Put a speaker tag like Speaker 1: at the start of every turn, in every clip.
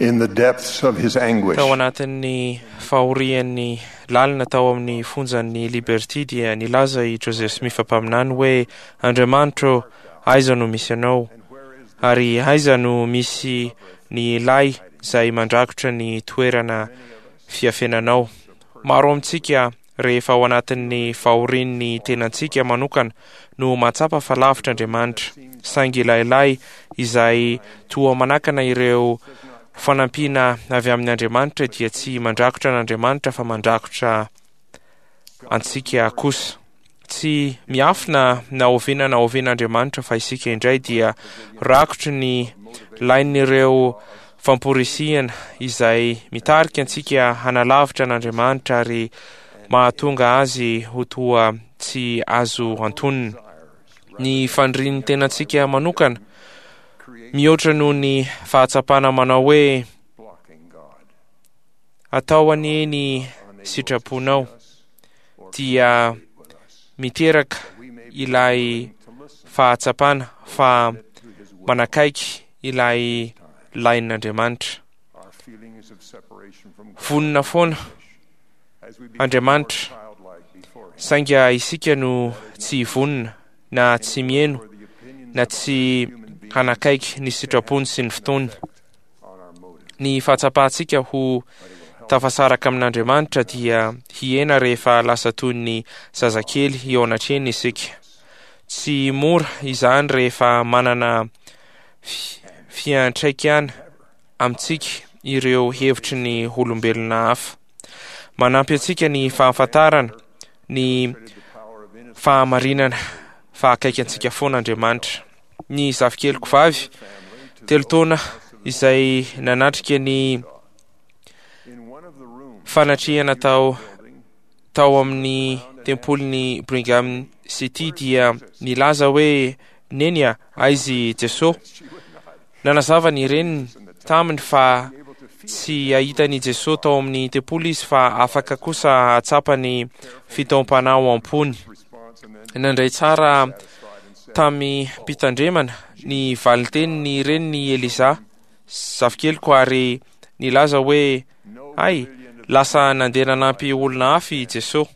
Speaker 1: In the depths of his anguish,
Speaker 2: Tao anatin'ny fahorian'ny lalina tao amin'ny fonjan'ny Liberty dia nilaza i Joseph Smith mpaminany hoe, Andriamanitra ô, aiza no misy Anao? Ary aiza no misy ny lay izay mandrakotra ny toerana fiafenanao? Maro amintsika rehefa ao anatin'ny fahorian'ny tenantsika manokana no mahatsapa fa lavitra Andriamanitra, saingy ilay lay izay toa manakana ireo fanampiana avy amin' Andriamanitra dia tsy mandrakotra an'Andriamanitra fa mandrakotra antsika kosa. Tsy miafina na oviana na oviana Andriamanitra fa isika indray dia rakotry ny lain'ireo famporisihana izay mitarika antsika hanalavitra an'Andriamanitra ary mahatonga azy ho toa tsy azo antonina. Ny fanirian'ny tenantsika manokana mihoatra noho ny fahatsapana manao hoe atao anie ny sitraponao dia miteraka ilay fahatsapana fa manakaiky ilay lain'Andriamanitra. Vonona foana Andriamanitra, saingy isika no tsy vonona na tsy miheno na tsy hanakaiky ny sitrapony sy ny fotoany. Ny fahatsapantsika ho tafasaraka amin'Andriamanitra dia hihena rehefa lasa toy ny zazakely eo anatrehany isika. Tsy mora izany rehefa manana fiantraikany amintsika ireo hevitry ny olombelona hafa. Manampy antsika ny fahafantarana ny fahamarinana fa akaiky antsika foana Andriamanitra. Ny zafikeliko vavy, telo taona, izay nanatrika ny fanatrehana tao tao amin'ny tempolin'i Brigham City dia nilaza hoe, Neny a, aiza i Jesoa? Nanazava ny reniny taminy fa tsy hahita an'i Jesoa tao amin'ny tempoly izy fa afaka kosa hahatsapa ny fitaom-panahy ao am-pony. Nandray tsara tamim-pitandremana ny valin-tenin'ny reniny i Eliza, zafikeliko, ary nilaza hoe, Hay, lasa nandeha nanampy olona hafa i Jesoa.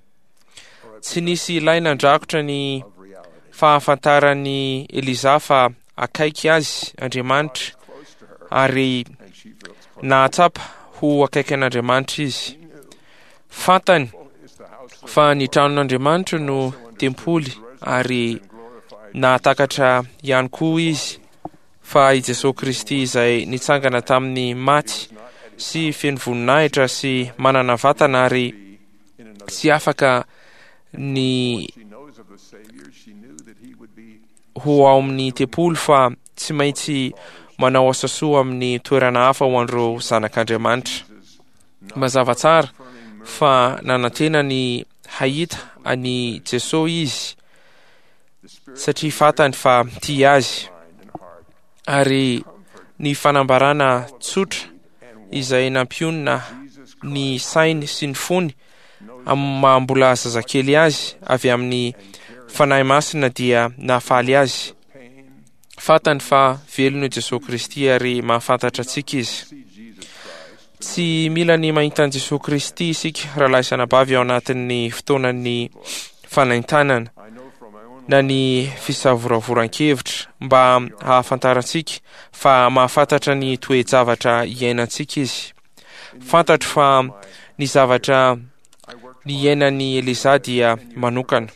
Speaker 2: Tsy nisy ilay nandrakotra ny fahafantaran'i Eliza fa akaiky azy Andriamanitra ary nahatsapa ho akaiky an'Andriamanitra izy. Fantany fa ny tranon'Andriamanitra no tempoly ary nahatakatra ihany koa izy fa i Jesoa Kristy izay nitsangana tamin'ny maty sy feno voninahitra sy manana vatana ary tsy afaka ny ho ao amin'ny tempoly fa tsy maintsy manao asa soa amin'ny toerana hafa ho an'ireo zanak'Andriamanitra. Mazava tsara fa nanantena ny hahita an'i Jesoa izy satria fantany fa tia azy ary ny fanambarana tsotra izay nampionona ny sainy sy ny fony amin'ny maha mbola zazakely azy avy amin'ny Fanahy Masina dia nahafaly azy. Fantany fa velona i Jesoa Kristy ary mahafantatra antsika Izy. Tsy mila ny mahita an'i Jesoa Kristy isika rahalahy sy anabavy ao anatin'ny fotoanan'ny fanaintanana na ny fisavoravoran-kevitra mba hahafantarantsika fa mahafantatra ny toe-javatra iainantsika Izy. Fantatro fa ny zavatra niainan'i Eliza dia manokana.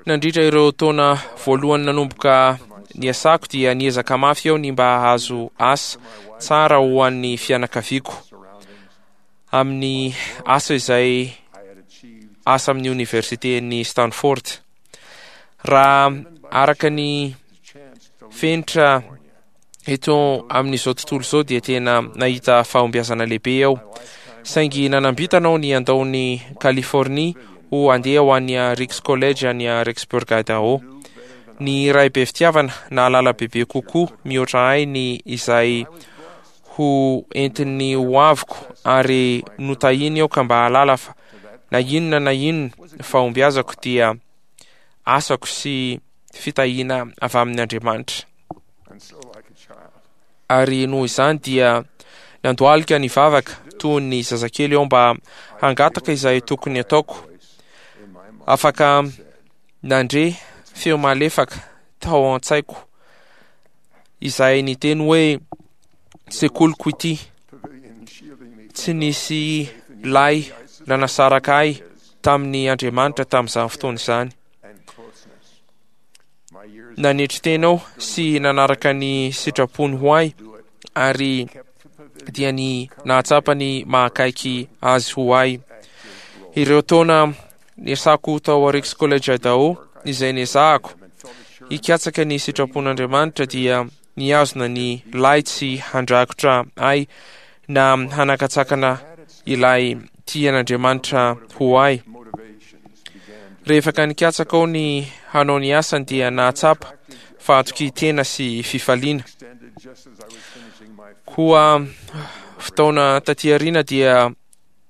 Speaker 2: Nandritra ireo taona voalohany nanomboka niasako dia niezaka mafy aho ny mba hahazo asa tsara ho an'ny fianakaviako amin'ny asa izay asa amin'ny oniversiten'i Stanford. Raha araka ny fenitra eto amin'izao tontolo izao dia tena nahita fahombiazana lehibe aho. Saingy nanam-bintana aho ny handao ny Californie ho handeha ho any Ricks College any Rexburg, Idaho. Ny ray be fitiavana nahalala bebe kokoa mihoatra ahy ny izay ho entin'ny ho aviko ary notahiny aho ka mba hahalala fa na inona na inona fahombiazako dia asako sy fitahiana avy amin' Andriamanitra. Ary noho izany dia. Nandohalika nivavaka toy ny zazakely aho mba hangataka izay tokony ataoko. Afaka nandre feo malefaka tao an-tsaiko izay niteny hoe, Sekoliko ity. Tsy nisy lay nanasaraka ahy tamin'ny Andriamanitra tamin'izany fotoana izany. Nanetry tena aho sy nanaraka ny sitrapony ho ahy ary dia ny nahatsapa ny mahakaiky azy ho ahy. Ireo taona niasako tao Ricks College Idaho izay nezahako hikatsaka ny sitrapon'Andriamanitra dia nihazona ny lay tsy handrakotra ahy na hanakatsakana ilay tian'Andriamanitra ho ahy. Rehefa ka nikatsaka aho ny hanao ny asany dia nahatsapa fahatokian-tena sy fifaliana. Koa fotoana taty aoriana dia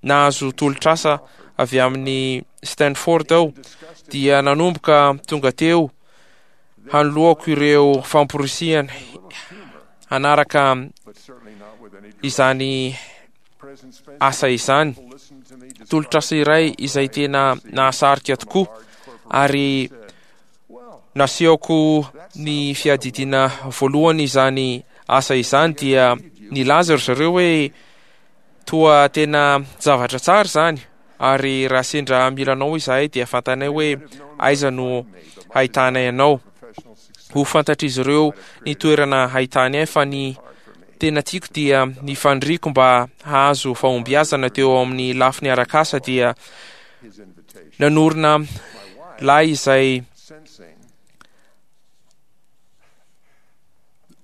Speaker 2: nahazo tolotr'asa avy amin'ny Stanford aho dia nanomboka tonga teo hanoloako ireo famporisihana hanaraka izany asa izany. Tolotr'asa iray izay tena nahasarika tokoa ary nasehoko ny fiadidiana voalohany izany asa izany dia nilaza ry zareo hoe toa tena zavatra tsara izany ary raha sendra mila anao izahay dia fantanay hoe aiza no hahitanay anao. Ho fantatr'izy ireo ny toerana hahitany ahy fa ny tena tiako dia ny faniriako mba hahazo fahombiazana teo amin'ny lafiny arak'asa dia nanorina lahy izay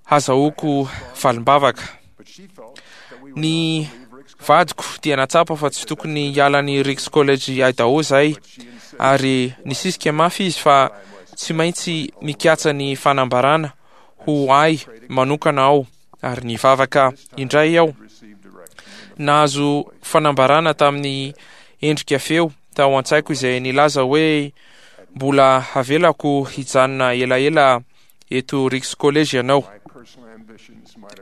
Speaker 2: hazahoako valim-bavaka. Ny vadiko dia natsapa fa tsy tokony hiala ny Ricks College Idaho izahay ary nisisika mafy izy fa tsy maintsy mikatsa ny fanambarana ho ahy manokana aho ary nivavaka indray aho. Nahazo fanambarana tamin'ny endrika feo tao an-tsaiko izay nilaza hoe mbola havelako hijanona elaela eto Ricks College ianao.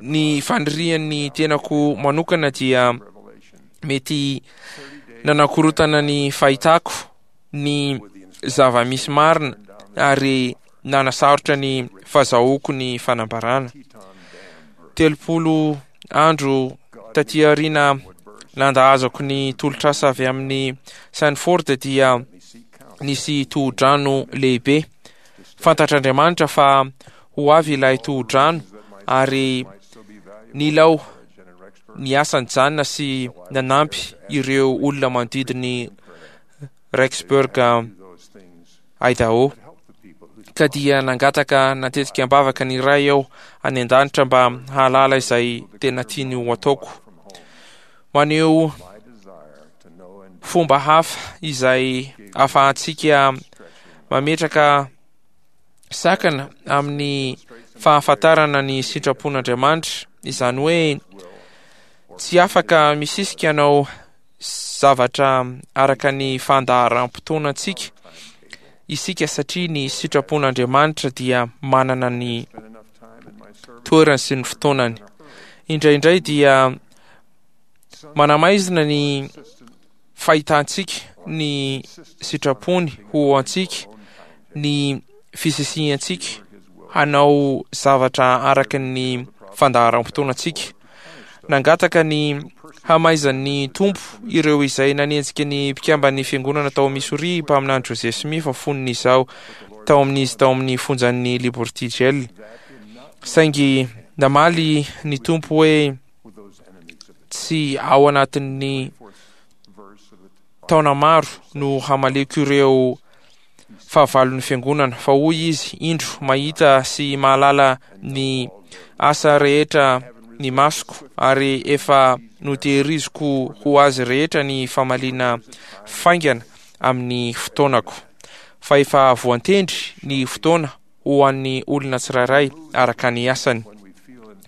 Speaker 2: Ny fanirian'ny tenako manokana dia mety nanakorotana ny fahitako ny zava-misy marina ary nanasarotra ny fazahoako ny fanambarana. 30 andro taty aoriana nandahazako ny tolotr'asa avy amin'ny Sanford dia nisy tohodrano lehibe. Fantatr'Andriamanitra fa ho avy ilay tohodrano ary nila aho niasa nijanona sy nanampy ireo olona manodidin'i Rexburg, Idaho. Ka dia nangataka natetika am-bavaka ny Ray aho any an-danitra mba hahalala izay tena tiany ho ataoko. Maneho fomba hafa izay ahafahantsika mametraka sakana amin'ny fahafantarana ny sitrapon'Andriamanitra, izany hoe tsy afaka misisika hanao zavatra araka ny fandaharam-potoanantsika isika satria ny sitrapon'Andriamanitra dia manana ny toerany sy ny fotoanany. Indraindray dia manamaizina ny fahitantsika ny sitrapony ho antsika ny fisisihantsika hanao zavatra araka ny fandaharam-potoanantsika. Nangataka ny hamaizan'ny Tompo ireo izay nanenjika ny mpikamban'ny Fiangonana tao Missouri mpaminany Joseph Smith fony izaho tao amin'izy tao amin'ny fonjan'ny Liberty Jail. Saingy namaly ny Tompo hoe tsy ao anatin'ny taona maro no hamaliako ireo fahavalon'ny fiangonana, fa hoy izy, Indro, mahita sy mahalala ny asa rehetra ny masoko, ary efa notehiriziko ho azy rehetra ny famaliana faingana amin'ny fotoanako. Fa efa voantendry ny fotoana ho an'ny olona tsirairay araka ny asany.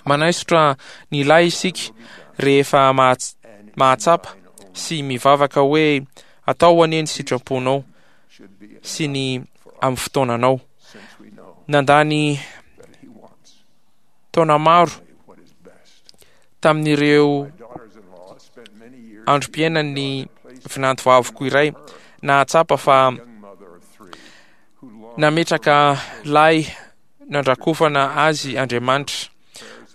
Speaker 2: Manaisotra ny lahy isika rehefa mahatsapa sy mivavaka hoe atao anie ny sitraponao sy ny amin'ny fotoananao. Nandany taona maro. Tamin'ireo androm-piainan'ny vinantovaviko iray, nahatsapa fa nametraka lay nandrakofana azy Andriamanitra.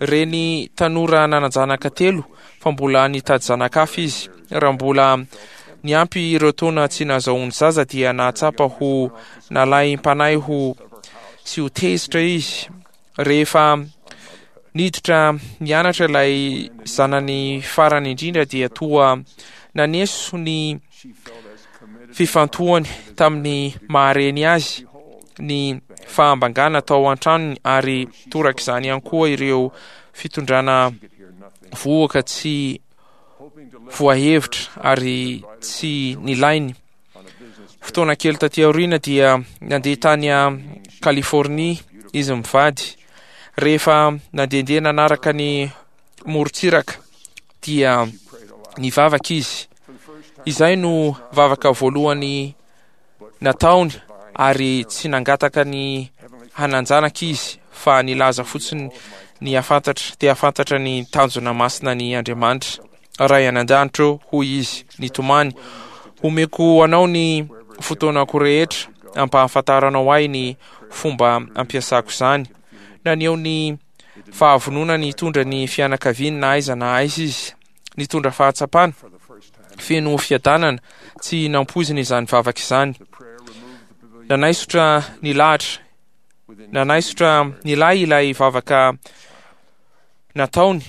Speaker 2: Reny tanora nanan-janaka telo fa mbola nitady zanaka hafa izy. Raha mbola niampy ireo taona tsy nahazahoany zaza dia nahatsapa ho nalaim-panahy ho sy ho tezitra izy. Rehefa niditra nianatra ilay zanany farany indrindra dia toa naneso ny fifantohany tamin'ny maha-reny azy ny fahambangana tao an-tranony ary torak'izany ihany koa ireo fitondrana vohoka tsy voahevitra ary tsy nilainy. Fotoana kely taty aoriana dia nandeha tany Californie izy mivady. Rehefa nandehandeha nanaraka ny morontsiraka dia nivavaka izy. Izay no vavaka voalohany nataony ary tsy nangataka ny hanan-janaka izy fa nilaza fotsiny ny hafantatra te hafantatra ny tanjona masina ny Andriamanitra. Ray any an-danitra ô, hoy izy nitomany, homeko anao ny fotoanako rehetra ampahafantaranao ahy ny fomba ampiasako izany. Naneho ny fahavononany hitondra ny fianakaviany na aiza na aiza izy. Nitondra fahatsapana feno fiadanana tsy nampoizina izany vavaka izany. Nanaisotra ny lahatra nanaisotra ny lahy ilay vavaka nataony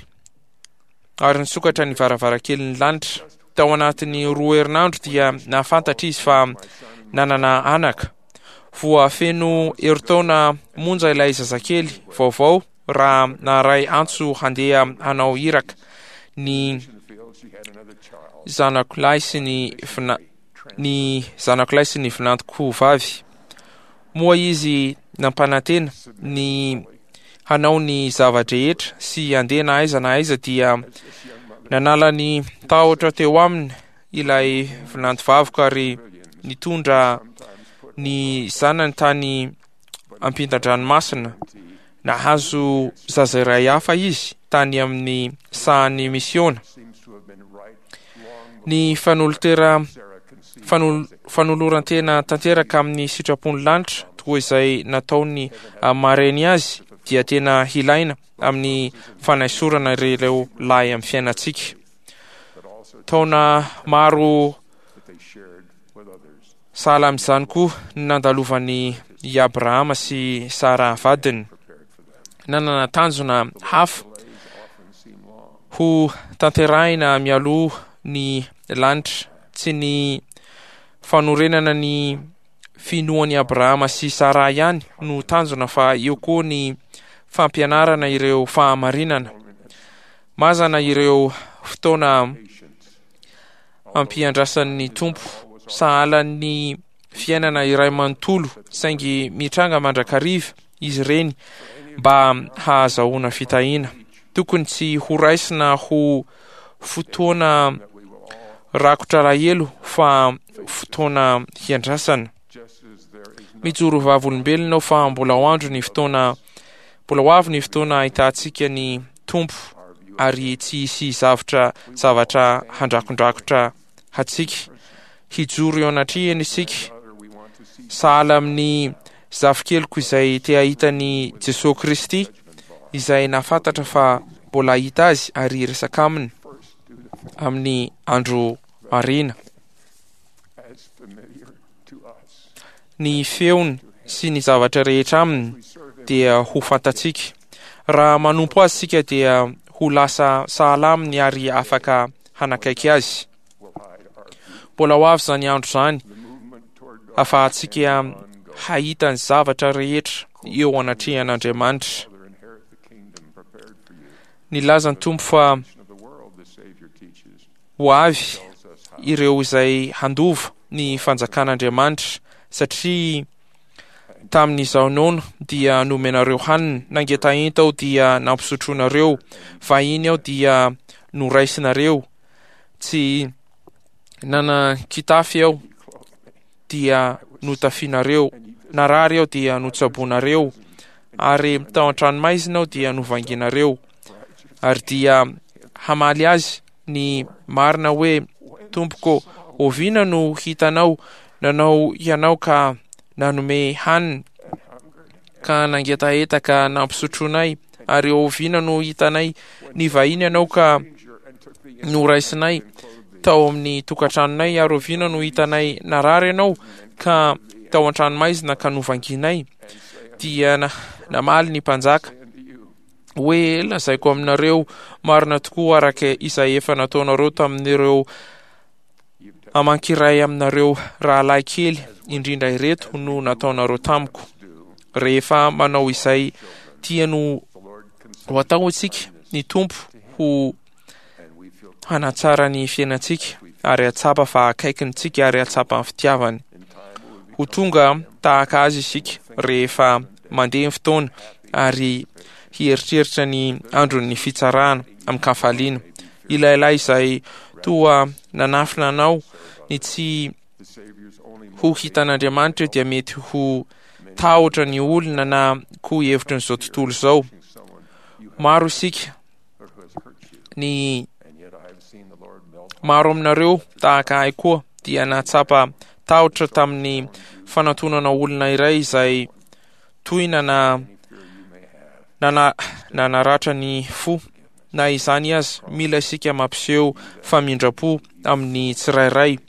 Speaker 2: ary nisokatra ny varavarankelin'ny lanitra. Tao anatin'ny roa herinandro dia nahafantatra izy fa nanana anaka. Voafeno herintaona monja ilay zazakely vaovao raha naharay antso handeha hanao iraka ny zanako lahy sy ny vina ny zanako lahy sy ny vinantoko vavy. Moa izy nampanantena ny hanao ny zava-drehetra sy handeha na aiza na aiza dia nanala ny tahotra teo aminy ilay vinantovaviko ary nitondra ny zanany tany ampitan-dranomasina. Nahazo zaza iray hafa izy tany amin'ny sahan'ny misiona. Ny fanolotera fanoloran-tena tanteraka amin'ny sitrapon'ny lanitra toa izay nataony amin'ny maha-reny azy dia tena hilaina amin'ny fanaisorana ireo lahy amin'ny fiainantsika. Taona maro sahala amin'izany koa ny nandalovan'i i Abrahama sy Sara vadiny. Nanana tanjona hafa ho tanterahina mialoha ny lanitra, tsy ny fanorenana ny finoan'i Abrahama sy Sara ihany no tanjona fa eo koa ny fampianarana ireo fahamarinana. Mazana ireo fotoana ampiandrasan'ny Tompo, sahalan'ny fiainana iray manontolo, saingy mitranga mandrakariva izy ireny mba hahazahoana fitahiana. Tokony tsy horaisina ho fotoana rakotra alahelo fa fotoana hiandrasana. Mijoro vavolombelona aho fa mbola ho andro ny fotoana mbola ho avy ny fotoana ahitantsika ny Tompo ary tsy hisy zavtra zavatra handrakondrakotra hatsika. Hijoro eo anatrehany isika sahala amin'ny zafikeliko izay te hahita an'i Jesoa Kristy izay nahafantatra fa mbola hahita azy ary hiresaka aminy amin'ny andro aoriana. Ny feony sy ny zavatra rehetra aminy dia ho fantatsika. Raha manompo azy isika dia ho lasa sahala aminy ary afaka hanakaiky azy. Mbola ho avy izany andro izany afahantsika hahita ny zavatra rehetra eo anatrehan'Andriamanitra. Nilaza ny Tompo fa ho avy ireo izay handova ny fanjakan'Andriamanitra satria tamin'izaho noana dia nomenareo hanina, nangetaheta aho dia nampisotroinareo, vahiny aho dia noraisinareo, tsy nanan-kitafy aho dia notafianareo, narary aho dia notsaboinareo, ary tao an-tranomaizina aho dia novanginareo, ary dia. hamaly azy ny marina hoe, Tompoko, oviana no hitanao nanao ianao ka nanome hanina, ka nangetaheta ka nampisotronay, ary oviana no hitanay nivahiny ianao ka noraisinay tao amin'ny tokantranonay, ary oviana no hitanay narary ianao ka tao an-tranomaizina ka novanginay? Dia namaly ny mpanjaka hoe, Lazaiko aminareo marina tokoa araka izay efa nataonareo tamin'ireo amankiray aminareo rahalahy kely indrindra ireto no nataonareo tamiko. Rehefa manao izay tiany ho atao isika, ny Tompo ho hanatsara ny fiainantsika ary hahatsapa fa akaikiny tsika ary hahatsapa ny fitiavany. Ho tonga tahaka azy isika rehefa mandeha ny fotoana ary hieritreritra ny andron'ny fitsarana amin-kafaliana. Ilay lahy izay toa nanafina anao ny tsy ho hitan'Andriamanitra dia mety ho tahotra ny olona na koa hevitrin'izao tontolo izao. Maro isika ny maro aminareo tahaka ahy koa dia nahatsapa tahotra tamin'ny fanantonana olona iray izay tohina na nana nanaratra ny fo. Na izany aza, mila isika mampiseho famindram-po amin'ny tsirairay.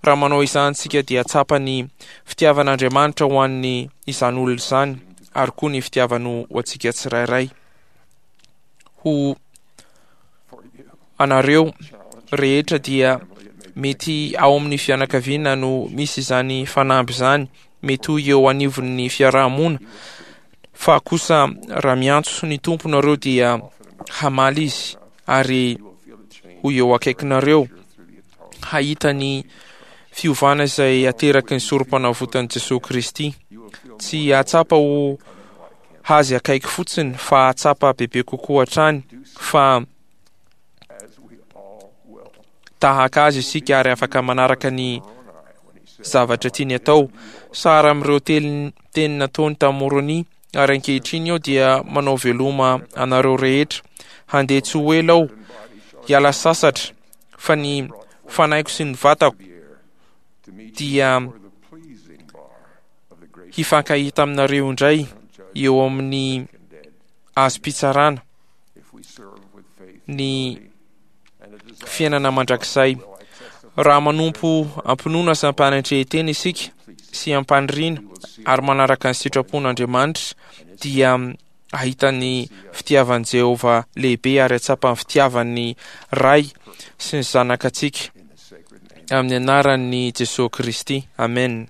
Speaker 2: Raha manao izany isika dia tsapa ny fitiavan'Andriamanitra ho an'ny izany olona izany ary koa ny fitiavany ho antsika tsirairay. Ho anareo rehetra dia mety ao amin'ny fianakaviana no misy izany fanamby izany, mety ho eo anivon'ny fiaraha-mona, fa kosa raha miantso ny Tompo nareo dia hamaly Izy ary ho eo akaikinareo hahita ny fiovana izay ateraky ny sorom-panavotan'i Jesoa Kristy. Tsy hahatsapa ho Azy akaiky fotsiny fa hahatsapa bebe kokoa hatrany fa tahaka Azy isika ary afaka manaraka ny zavatra tiany atao. Sara amin'ireo teny teny nataony tamin'i Môrônia, ary ankehitriny aho dia manao veloma anareo rehetra. Handeha tsy ho ela aho hiala sasatra, fa ny fanahiko sy ny vatako dia hifankahita aminareo indray eo amin'ny azom-pitsarana ny fiainana mandrakizay. Raha manompo am-pinoana sy am-panetren-tena isika sy am-paniriana ary manaraka ny sitrapon'Andriamanitra dia hahita ny fitiavan'i Jehovah lehibe ary hahatsapa ny fitiavan'ny Ray sy ny Zanaka antsika. Amin'ny anaran'i Jesoa Kristy. Amen.